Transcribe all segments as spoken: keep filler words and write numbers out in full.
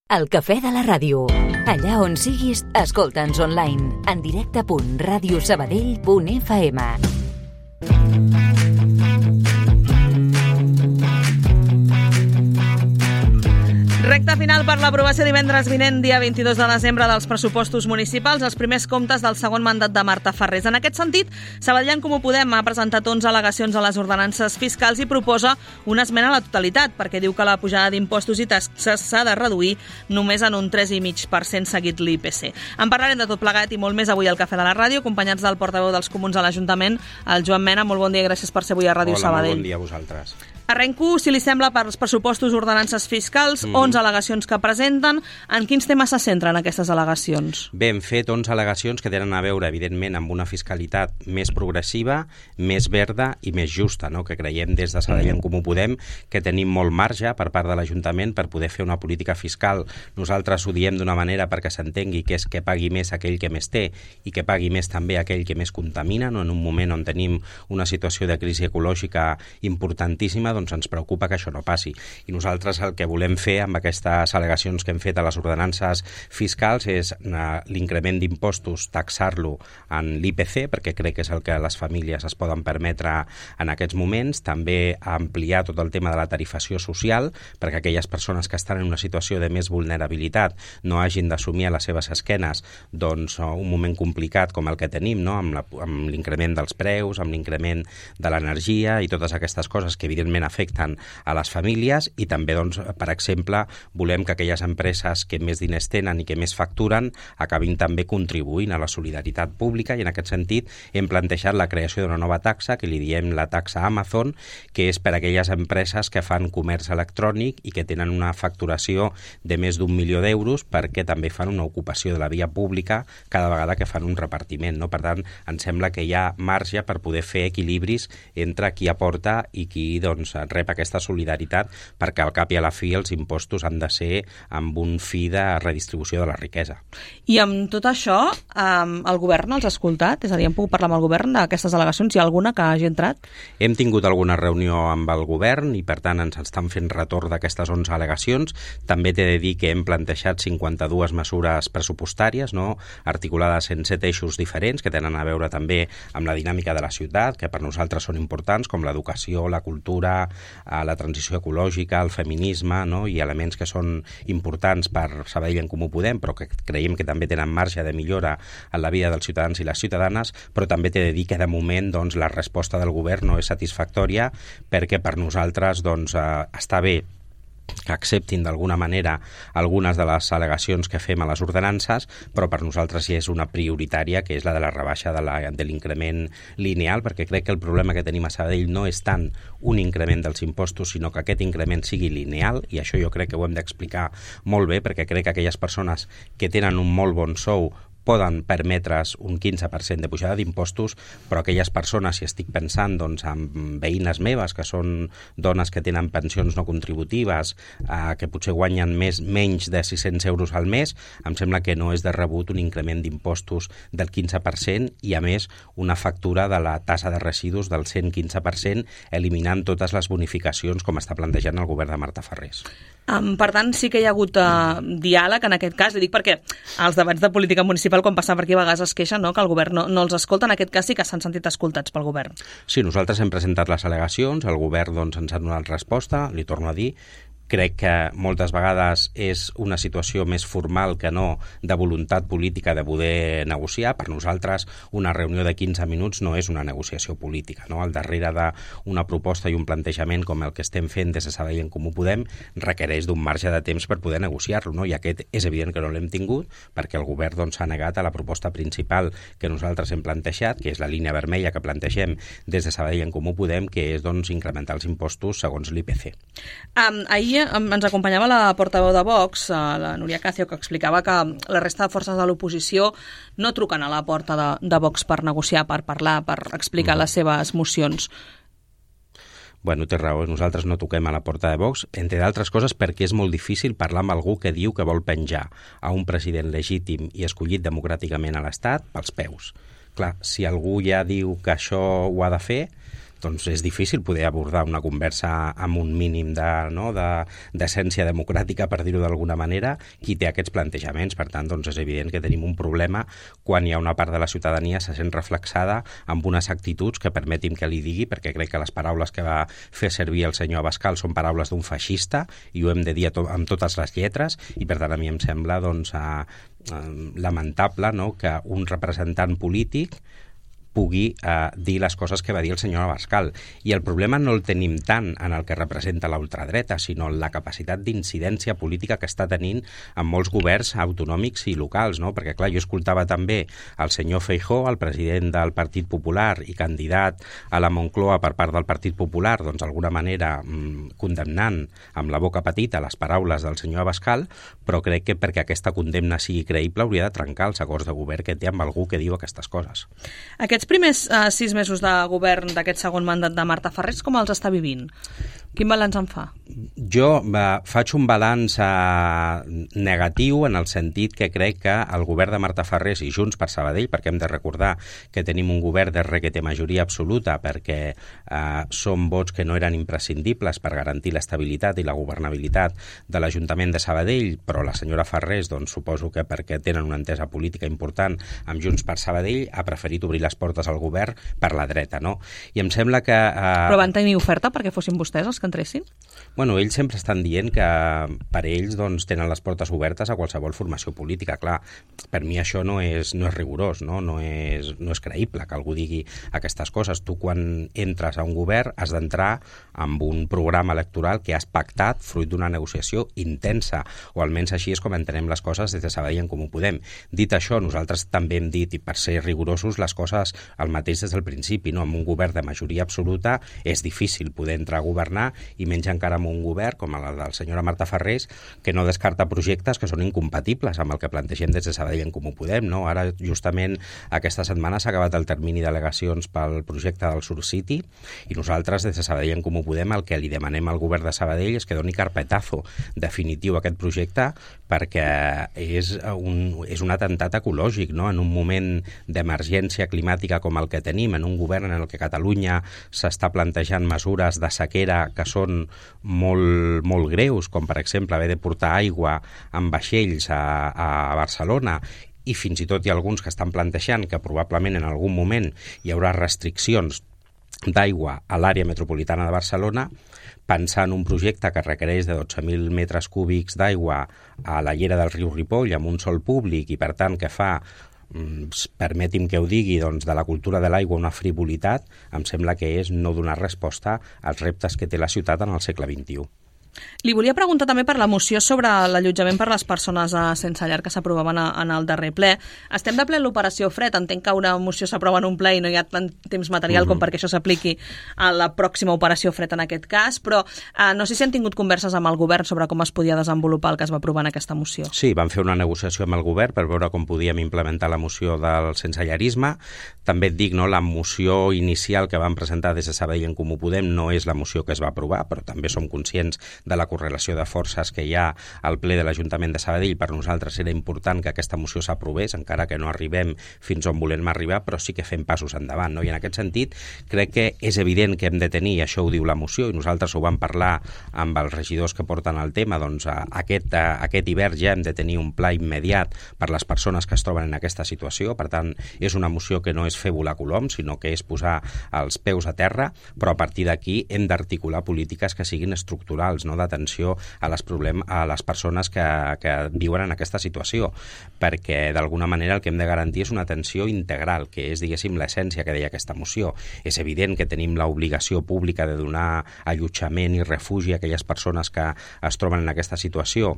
El cafè de la ràdio. Allà on siguis, escolta'ns online. En directe punt ràdio sabadell punt f m. Recte final per l'aprovació divendres vinent, dia vint-i-dos de desembre, dels pressupostos municipals, els primers comptes del segon mandat de Marta Farrés. En aquest sentit, Sabadell en Comú Podem ha presentat onze al·legacions a les ordenances fiscals i proposa una esmena a la totalitat, perquè diu que la pujada d'impostos i taxes s'ha de reduir només en un tres coma cinc per cent seguit l'I P C. En parlarem de tot plegat i molt més avui al Cafè de la Ràdio, acompanyats del portaveu dels Comuns a l'Ajuntament, el Joan Mena. Molt bon dia i gràcies per ser avui a Ràdio Hola, Sabadell. Hola, molt bon dia a vosaltres. Arrenco, si li sembla, per els pressupostos ordenances fiscals, mm. onze al·legacions que presenten. En quins temes se centren aquestes al·legacions? Bé, hem fet onze al·legacions que tenen a veure, evidentment, amb una fiscalitat més progressiva, més verda i més justa, no? Que creiem des de Sabadell en Comú Podem que tenim molt marge per part de l'Ajuntament per poder fer una política fiscal. Nosaltres ho diem d'una manera perquè s'entengui que és que pagui més aquell que més té i que pagui més també aquell que més contamina, no? En un moment on tenim una situació de crisi ecològica importantíssima, doncs ens preocupa que això no passi. I nosaltres el que volem fer amb aquestes al·legacions que hem fet a les ordenances fiscals és l'increment d'impostos, taxar-lo en l'I P C, perquè crec que és el que les famílies es poden permetre en aquests moments. També ampliar tot el tema de la tarifació social, perquè aquelles persones que estan en una situació de més vulnerabilitat no hagin d'assumir a les seves esquenes doncs, un moment complicat com el que tenim, no? amb, la, amb l'increment dels preus, amb l'increment de l'energia i totes aquestes coses que evidentment afecten a les famílies. I també, doncs, per exemple, volem que aquelles empreses que més diners tenen i que més facturen acabin també contribuint a la solidaritat pública, i en aquest sentit hem plantejat la creació d'una nova taxa que li diem la taxa Amazon, que és per a aquelles empreses que fan comerç electrònic i que tenen una facturació de més d'un milió d'euros, perquè també fan una ocupació de la via pública cada vegada que fan un repartiment, no? Per tant, ens sembla que hi ha marge per poder fer equilibris entre qui aporta i qui, doncs, rep aquesta solidaritat, perquè al cap i a la fi els impostos han de ser amb un fi de redistribució de la riquesa. I amb tot això, um, el govern els ha escoltat? És a dir, hem pogut parlar amb el govern d'aquestes al·legacions? Hi ha alguna que hagi entrat? Hem tingut alguna reunió amb el govern i, per tant, ens estan fent retorn d'aquestes onze al·legacions. També t'he de dir que hem plantejat cinquanta-dues mesures pressupostàries, no? Articulades en set eixos diferents, que tenen a veure també amb la dinàmica de la ciutat, que per nosaltres són importants, com l'educació, la cultura, la transició ecològica, el feminisme, no? I elements que són importants per Sabadell en Comú Podem, però que creiem que també tenen marge de millora en la vida dels ciutadans i les ciutadanes. Però també t'he de dir que de moment, doncs, la resposta del govern no és satisfactòria, perquè per nosaltres, doncs, eh, està bé que acceptin d'alguna manera algunes de les al·legacions que fem a les ordenances, però per nosaltres ja és una prioritària, que és la de la rebaixa de, la, de l'increment lineal, perquè crec que el problema que tenim a Sabadell no és tant un increment dels impostos, sinó que aquest increment sigui lineal, i això jo crec que ho hem d'explicar molt bé, perquè crec que aquelles persones que tenen un molt bon sou poden permetre's un quinze per cent de pujada d'impostos, però aquelles persones, si estic pensant doncs, en veïnes meves, que són dones que tenen pensions no contributives, eh, que potser guanyen més, menys de sis-cents euros al mes, em sembla que no és de rebut un increment d'impostos del quinze per cent i, a més, una factura de la tassa de residus del cent quinze per cent, eliminant totes les bonificacions com està plantejant el govern de Marta Farrés. Um, per tant, sí que hi ha hagut uh, diàleg en aquest cas. Li dic perquè als debats de política municipal, quan passa per aquí, a vegades es queixen, no?, que el govern no, no els escolta. En aquest cas sí que s'han sentit escoltats pel govern. Sí, nosaltres hem presentat les al·legacions, el govern, doncs, ens ha donat resposta, li torno a dir. Crec que moltes vegades és una situació més formal que no de voluntat política de poder negociar. Per nosaltres, una reunió de quinze minuts no és una negociació política, no? Al darrere d'una proposta i un plantejament com el que estem fent des de Sabadell en Comú Podem requereix d'un marge de temps per poder negociar-lo, no? I aquest és evident que no l'hem tingut, perquè el govern, doncs, s'ha negat a la proposta principal que nosaltres hem plantejat, que és la línia vermella que plantegem des de Sabadell en Comú Podem, que és, doncs, incrementar els impostos segons l'I P C. Um, ahir ens acompanyava la portaveu de Vox, la Núria Cacio, que explicava que la resta de forces de l'oposició no truquen a la porta de, de Vox per negociar, per parlar, per explicar mm. les seves mocions. Bueno, té raó, nosaltres no toquem a la porta de Vox, entre d'altres coses perquè és molt difícil parlar amb algú que diu que vol penjar a un president legítim i escollit democràticament a l'Estat pels peus. Clar, si algú ja diu que això ho ha de fer, doncs és difícil poder abordar una conversa amb un mínim de, no, de, d'essència democràtica, per dir-ho d'alguna manera, qui té aquests plantejaments. Per tant, doncs és evident que tenim un problema quan hi ha una part de la ciutadania se sent reflexada amb unes actituds que permetim que li digui, perquè crec que les paraules que va fer servir el senyor Abascal són paraules d'un feixista i ho hem de dir to- amb totes les lletres, i per tant a mi em sembla doncs, a, a, lamentable, no?, que un representant polític pugui eh, dir les coses que va dir el senyor Abascal. I el problema no el tenim tant en el que representa la ultradreta, sinó en la capacitat d'incidència política que està tenint en molts governs autonòmics i locals, no? Perquè, clar, jo escoltava també el senyor Feijóo, el president del Partit Popular i candidat a la Moncloa per part del Partit Popular, doncs d'alguna manera mmm, condemnant amb la boca petita les paraules del senyor Abascal, però crec que perquè aquesta condemna sigui creïble hauria de trencar els acords de govern que té amb algú que diu aquestes coses. Aquests primers uh, sis mesos de govern d'aquest segon mandat de Marta Farrés, com els està vivint? Quin balanç en fa? Jo eh, faig un balanç eh, negatiu en el sentit que crec que el govern de Marta Farrés i Junts per Sabadell, perquè hem de recordar que tenim un govern de re que té majoria absoluta, perquè eh, són vots que no eren imprescindibles per garantir l'estabilitat i la governabilitat de l'Ajuntament de Sabadell, però la senyora Farrés, doncs suposo que perquè tenen una entesa política important amb Junts per Sabadell, ha preferit obrir les portes al govern per la dreta, no? I em sembla que... Eh... Però van tenir oferta perquè fossin vostès els que entressin? Bueno, ells sempre estan dient que per ells doncs, tenen les portes obertes a qualsevol formació política. Clar, per mi això no és, no és rigorós, no? No és, no és creïble que algú digui aquestes coses. Tu, quan entres a un govern, has d'entrar amb un programa electoral que has pactat fruit d'una negociació intensa, o almenys així és com entenem les coses des de Sabadell en Comú Podem. Dit això, nosaltres també hem dit, i per ser rigorosos, les coses el mateix des del principi, no? Amb un govern de majoria absoluta és difícil poder entrar a governar, i menys encara amb un govern com el del senyora Marta Farrés, que no descarta projectes que són incompatibles amb el que plantegem des de Sabadell en Comú Podem, no? Ara, justament, aquesta setmana s'ha acabat el termini d'al·legacions pel projecte del Sur City, i nosaltres, des de Sabadell en Comú Podem, el que li demanem al govern de Sabadell és que doni carpetazo definitiu a aquest projecte, perquè és un, és un atemptat ecològic, no? En un moment d'emergència climàtica com el que tenim, en un govern en el que Catalunya s'està plantejant mesures de sequera que són molt, molt greus, com per exemple haver de portar aigua amb vaixells a, a Barcelona, i fins i tot hi ha alguns que estan plantejant que probablement en algun moment hi haurà restriccions d'aigua a l'àrea metropolitana de Barcelona, pensar en un projecte que requereix de dotze mil metres cúbics d'aigua a la llera del riu Ripoll amb un sòl públic, i per tant que fa, permeti'm que ho digui, doncs, de la cultura de l'aigua una frivolitat, em sembla que és no donar resposta als reptes que té la ciutat en el segle vint-i-u. Li volia preguntar també per la moció sobre l'allotjament per les persones sense llar que s'aprovaven en el darrer ple. Estem de ple en l'operació Fred. Entenc que una moció s'aprova en un ple i no hi ha tant temps material mm-hmm. com perquè això s'apliqui a la pròxima operació Fred en aquest cas, però eh, no sé si han tingut converses amb el govern sobre com es podia desenvolupar el que es va aprovar en aquesta moció. Sí, vam fer una negociació amb el govern per veure com podíem implementar la moció del sensellarisme. També et dic, no, la moció inicial que vam presentar des de Sabadell en Comú Podem no és la moció que es va aprovar, però també som conscients de la correlació de forces que hi ha al ple de l'Ajuntament de Sabadell. Per nosaltres era important que aquesta moció s'aprovés, encara que no arribem fins on volem arribar, però sí que fem passos endavant, no? I en aquest sentit crec que és evident que hem de tenir, i això ho diu la moció, i nosaltres ho vam parlar amb els regidors que porten el tema, doncs aquest, aquest hivern ja hem de tenir un pla immediat per les persones que es troben en aquesta situació. Per tant, és una moció que no és fer volar colom, sinó que és posar els peus a terra, però a partir d'aquí hem d'articular polítiques que siguin estructurals, no d'atenció a les, problem, a les persones que, que viuen en aquesta situació, perquè d'alguna manera el que hem de garantir és una atenció integral, que és, diguéssim, l'essència que deia aquesta moció. És evident que tenim l'obligació pública de donar allotjament i refugi a aquelles persones que es troben en aquesta situació,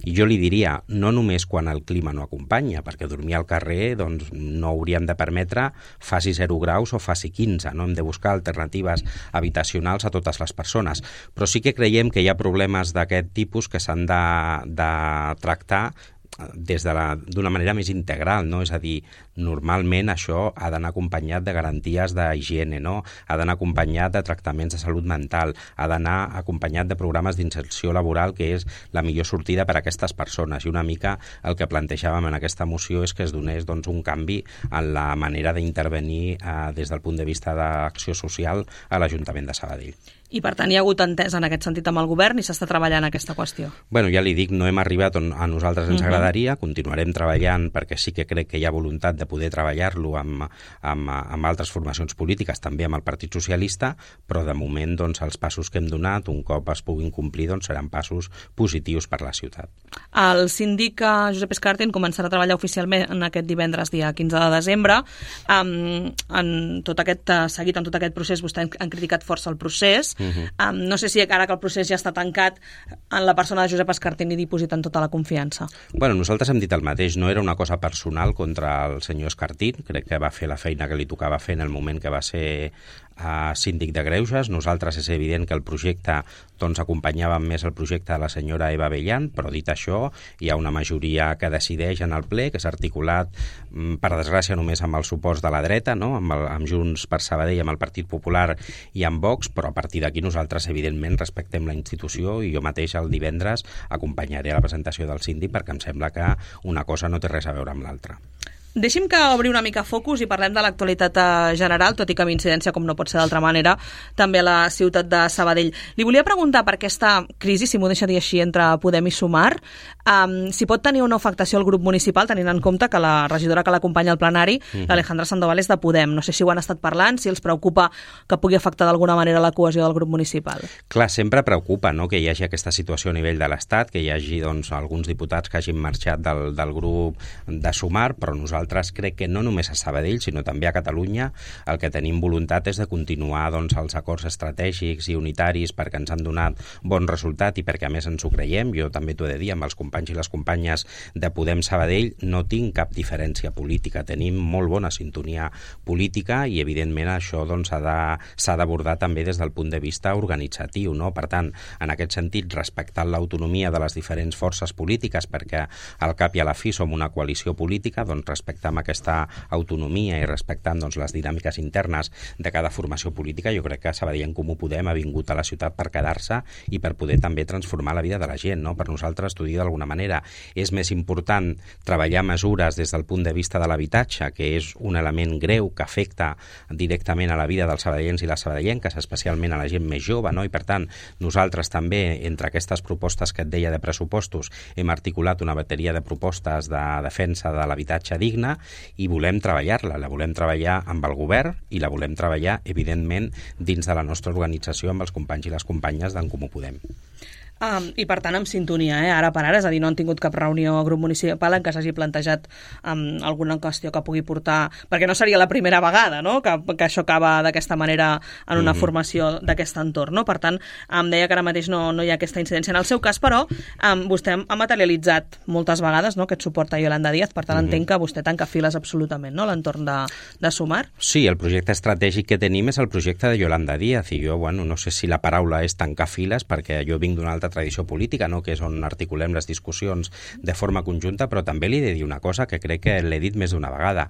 i jo li diria, no només quan el clima no acompanya, perquè dormir al carrer doncs, no hauríem de permetre faci zero graus o faci quinze, no? Hem de buscar alternatives habitacionals a totes les persones, però sí que creiem que hi ha problemes d'aquest tipus que s'han de, de tractar des de la, d'una manera més integral, no? És a dir, normalment això ha d'anar acompanyat de garanties d'higiene, no? Ha d'anar acompanyat de tractaments de salut mental, ha d'anar acompanyat de programes d'inserció laboral, que és la millor sortida per a aquestes persones. I una mica el que plantejàvem en aquesta moció és que es donés doncs, un canvi en la manera d'intervenir eh, des del punt de vista d'acció social a l'Ajuntament de Sabadell. I, per tant, hi ha hagut entesa en aquest sentit amb el govern i s'està treballant aquesta qüestió? Bueno, ja li dic, no hem arribat on a nosaltres ens uh-huh. agradaria, continuarem treballant perquè sí que crec que hi ha voluntat de poder treballar-lo amb, amb, amb altres formacions polítiques, també amb el Partit Socialista, però de moment doncs, els passos que hem donat, un cop es puguin complir, doncs, seran passos positius per la ciutat. El síndic Josep Escartin començarà a treballar oficialment en aquest divendres, dia quinze de desembre. Um, en tot aquest seguit, en tot aquest procés, vostès han criticat força el procés. Uh-huh. Um, no sé si ara que el procés ja està tancat, en la persona de Josep Escartin hi dipositen tota la confiança. Bueno, nosaltres hem dit el mateix, no era una cosa personal contra el senyor Escartin, crec que va fer la feina que li tocava fer en el moment que va ser uh, síndic de Greuges. Nosaltres és evident que el projecte, doncs acompanyàvem més el projecte de la senyora Eva Bellan, però dit això, hi ha una majoria que decideix en el ple, que s'ha articulat, per desgràcia, només amb el suport de la dreta, no? amb, el, amb Junts per Sabadell, amb el Partit Popular i amb Vox, però a partir d'aquí nosaltres, evidentment, respectem la institució i jo mateix el divendres acompanyaré a la presentació del síndic perquè em sembla que una cosa no té res a veure amb l'altra. Deixi'm que obri una mica focus i parlem de l'actualitat general, tot i que amb incidència, com no pot ser d'altra manera, també a la ciutat de Sabadell. Li volia preguntar per aquesta crisi, si m'ho deixa dir així, entre Podem i Sumar, um, si pot tenir una afectació al grup municipal, tenint en compte que la regidora que l'acompanya al plenari, mm-hmm. l'Alejandra Sandoval, és de Podem. No sé si ho han estat parlant, si els preocupa que pugui afectar d'alguna manera la cohesió del grup municipal. Clar, sempre preocupa, no?, que hi hagi aquesta situació a nivell de l'Estat, que hi hagi doncs, alguns diputats que hagin marxat del, del grup de Sumar, però nosaltres Nosaltres crec que no només a Sabadell, sinó també a Catalunya, el que tenim voluntat és de continuar doncs, els acords estratègics i unitaris perquè ens han donat bon resultat i perquè a més ens ho creiem. Jo també t'ho he de dir, amb els companys i les companyes de Podem Sabadell no tinc cap diferència política, tenim molt bona sintonia política i evidentment això doncs, ha de, s'ha d'abordar també des del punt de vista organitzatiu, no? Per tant, en aquest sentit, respectant l'autonomia de les diferents forces polítiques, perquè al cap i a la fi som una coalició política, doncs respectant amb aquesta autonomia i respectant doncs, les dinàmiques internes de cada formació política, jo crec que Sabadell en Comú Podem ha vingut a la ciutat per quedar-se i per poder també transformar la vida de la gent, no? Per nosaltres, t'ho dic d'alguna manera, és més important treballar mesures des del punt de vista de l'habitatge, que és un element greu que afecta directament a la vida dels sabadellencs i les sabadellenques, especialment a la gent més jove, no? I per tant, nosaltres també, entre aquestes propostes que et deia de pressupostos, hem articulat una bateria de propostes de defensa de l'habitatge digne i volem treballar-la, la volem treballar amb el govern i la volem treballar, evidentment, dins de la nostra organització amb els companys i les companyes d'en Comú Podem. Um, I per tant amb sintonia, eh? ara per ara, és a dir, no han tingut cap reunió a grup municipal en què s'hagi plantejat um, alguna qüestió que pugui portar, perquè no seria la primera vegada, no?, que, que això acaba d'aquesta manera en una mm-hmm. formació d'aquest entorn, no? Per tant, em deia que ara mateix no, no hi ha aquesta incidència. En el seu cas, però, um, vostè ha materialitzat moltes vegades, no?, aquest suport a Yolanda Díaz, per tant mm-hmm. entenc que vostè tanca files absolutament, no?, l'entorn de, de Sumar. Sí, el projecte estratègic que tenim és el projecte de Yolanda Díaz i jo, bueno, no sé si la paraula és tancar files, perquè jo vinc d'una altra tradició política, no?, que és on articulem les discussions de forma conjunta, però també li he de dir una cosa que crec que l'he dit més d'una vegada.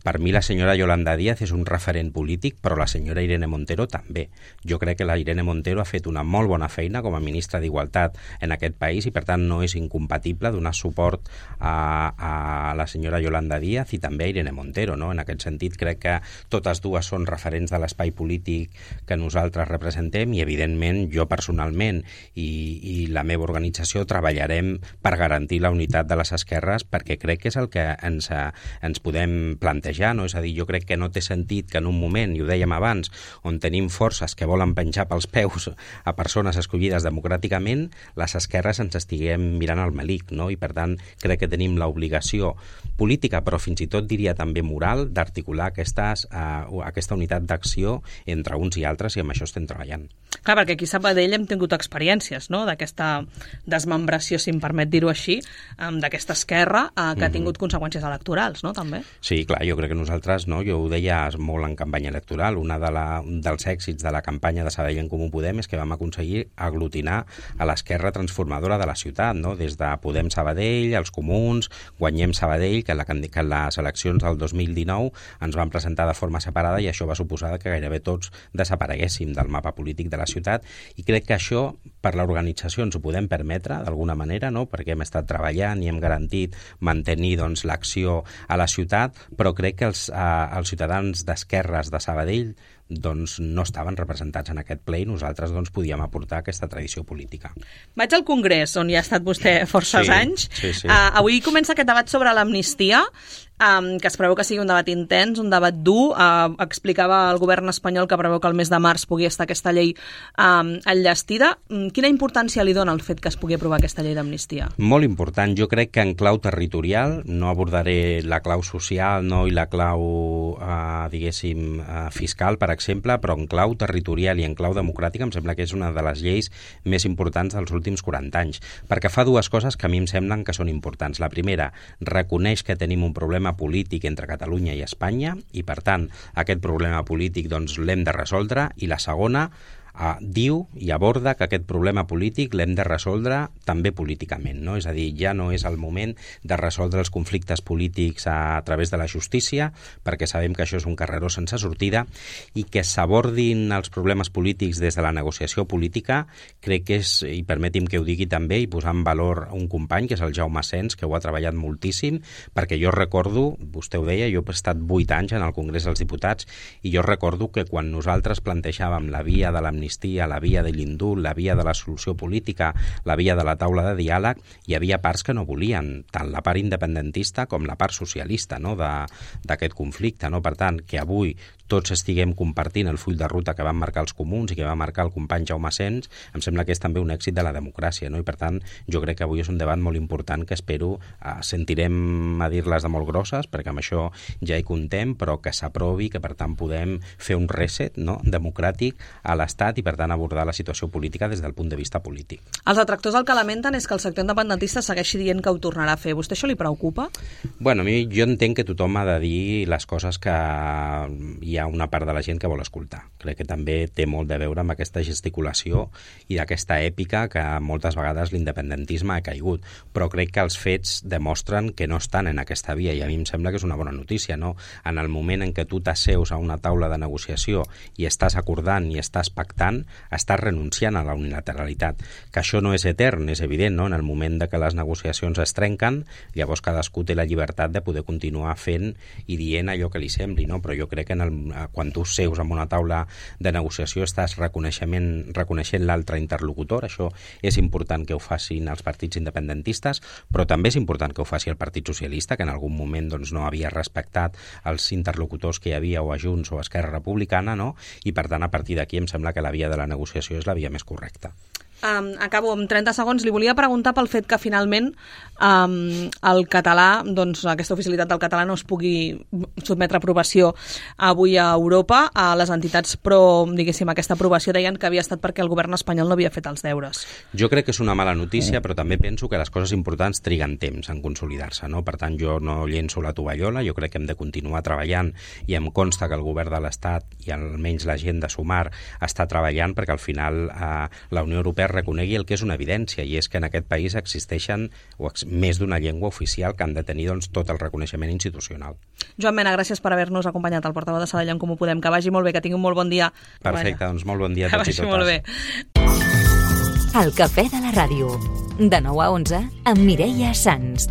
Per mi la senyora Yolanda Díaz és un referent polític, però la senyora Irene Montero també. Jo crec que la Irene Montero ha fet una molt bona feina com a ministra d'Igualtat en aquest país i per tant no és incompatible donar suport a, a la senyora Yolanda Díaz i també a Irene Montero, no? En aquest sentit crec que totes dues són referents de l'espai polític que nosaltres representem i evidentment jo personalment i, i la meva organització treballarem per garantir la unitat de les esquerres perquè crec que és el que ens, ens podem plantejar, no? És a dir, jo crec que no té sentit que en un moment, i ho dèiem abans, on tenim forces que volen penjar pels peus a persones escollides democràticament, les esquerres ens estiguem mirant al melic, no? I per tant crec que tenim l'obligació política, però fins i tot diria també moral, d'articular aquestes, uh, aquesta unitat d'acció entre uns i altres i amb això estem treballant. Clar, perquè aquí a Sabadell hem tingut experiències, no?, d'aquesta desmembració, si em permet dir-ho així, d'aquesta esquerra eh, que ha tingut conseqüències electorals, no?, també. Sí, clar, jo crec que nosaltres, no, jo ho deia molt en campanya electoral, una de la, un dels èxits de la campanya de Sabadell en Comú Podem és que vam aconseguir aglutinar a l'esquerra transformadora de la ciutat, no?, des de Podem Sabadell, els comuns, Guanyem Sabadell, que, la, que les eleccions del dos mil dinou ens van presentar de forma separada i això va suposar que gairebé tots desapareguéssim del mapa polític de la ciutat, i crec que això per l'organització ens ho podem permetre d'alguna manera, no?, perquè hem estat treballant i hem garantit mantenir, doncs, l'acció a la ciutat, però crec que els, eh, els ciutadans d'esquerres de Sabadell doncs no estaven representats en aquest ple i nosaltres doncs podíem aportar aquesta tradició política. Vaig al Congrés, on hi ha estat vostè forces sí, anys. Sí, sí. Uh, avui comença aquest debat sobre l'amnistia, um, que es preveu que sigui un debat intens, un debat dur. Uh, explicava el govern espanyol que preveu que el mes de març pugui estar aquesta llei um, enllestida. Um, quina importància li dona el fet que es pugui aprovar aquesta llei d'amnistia? Molt important. Jo crec que en clau territorial, no abordaré la clau social, no, i la clau, uh, diguéssim, uh, fiscal, per exemple, però en clau territorial i en clau democràtica em sembla que és una de les lleis més importants dels últims quaranta anys, perquè fa dues coses que a mi em semblen que són importants. La primera, reconeix que tenim un problema polític entre Catalunya i Espanya i, per tant, aquest problema polític doncs, l'hem de resoldre, i la segona, Uh, diu i aborda que aquest problema polític l'hem de resoldre també políticament, no? És a dir, ja no és el moment de resoldre els conflictes polítics a, a través de la justícia, perquè sabem que això és un carreró sense sortida, i que s'abordin els problemes polítics des de la negociació política, crec que és, i permeti'm que ho digui també, i posar en valor un company, que és el Jaume Sens, que ho ha treballat moltíssim, perquè jo recordo, vostè ho deia, jo he estat vuit anys en el Congrés dels Diputats, i jo recordo que quan nosaltres plantejàvem la via de l'amnistia, la via de l'indult, la via de la solució política, la via de la taula de diàleg, hi havia parts que no volien, tant la part independentista com la part socialista, no?, d'aquest conflicte, no? Per tant, que avui tots estiguem compartint el full de ruta que van marcar els comuns i que va marcar el company Jaume Sens, em sembla que és també un èxit de la democràcia, no? I per tant, jo crec que avui és un debat molt important que espero, eh, sentirem a dir-les de molt grosses, perquè amb això ja hi contem, però que s'aprovi, que per tant podem fer un reset, no?, democràtic a l'Estat i per tant abordar la situació política des del punt de vista polític. Els detractors el que lamenten és que el sector independentista segueixi dient que ho tornarà a fer. Vostè això li preocupa? Bueno, a mi jo entenc que tothom ha de dir les coses que hi ha una part de la gent que vol escoltar. Crec que també té molt de veure amb aquesta gesticulació i d'aquesta èpica que moltes vegades l'independentisme ha caigut, però crec que els fets demostren que no estan en aquesta via i a mi em sembla que és una bona notícia, no? En el moment en què tu t'asseus a una taula de negociació i estàs acordant i estàs pactant, estàs renunciant a la unilateralitat. Que això no és etern, és evident, no? En el moment de que les negociacions es trenquen, llavors cadascú té la llibertat de poder continuar fent i dient allò que li sembli, no? Però jo crec que en el, quan tu seus en una taula de negociació estàs reconeixement, reconeixent l'altre interlocutor. Això és important que ho facin els partits independentistes, però també és important que ho faci el Partit Socialista, que en algun moment doncs, no havia respectat els interlocutors que hi havia o a Junts o a Esquerra Republicana, no? I per tant a partir d'aquí em sembla que la via de la negociació és la via més correcta. Um, acabo amb trenta segons. Li volia preguntar pel fet que finalment um, el català, doncs aquesta oficialitat del català no es pugui sotmetre a aprovació avui a Europa. A les entitats pro, diguéssim, aquesta aprovació deien que havia estat perquè el govern espanyol no havia fet els deures. Jo crec que és una mala notícia, però també penso que les coses importants triguen temps en consolidar-se, no? Per tant, jo no llenço la tovallola, jo crec que hem de continuar treballant i em consta que el govern de l'Estat i almenys la gent de Sumar està treballant perquè al final eh, la Unió Europea reconegui el que és una evidència, i és que en aquest país existeixen més d'una llengua oficial que han de tenir doncs, tot el reconeixement institucional. Joan Mena, gràcies per haver-nos acompanyat, el portaveu de Sabadell en Comú Podem. Que vagi molt bé, que tingui un molt bon dia. Perfecte, doncs molt bon dia a tots i totes. Que vagi molt bé. El Cafè de la Ràdio, de nou a onze, amb Mireia Sans.